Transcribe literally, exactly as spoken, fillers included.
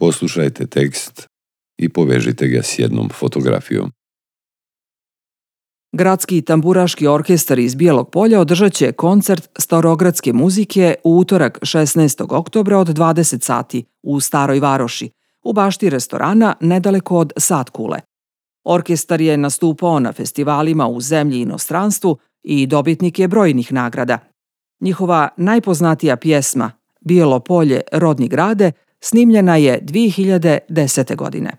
poslušajte tekst i povežite ga s jednom fotografijom. Gradski tamburaški orkestar iz Bijelog Polja održat će koncert starogradske muzike u utorak šesnaestog oktobra od dvadeset sati u Staroj Varoši, u bašti restorana nedaleko od Satkule. Orkestar je nastupao na festivalima u zemlji i inostranstvu i dobitnik je brojnih nagrada. Njihova najpoznatija pjesma, Bijelo Polje, rodni grade, snimljena je dvije hiljade desete godine.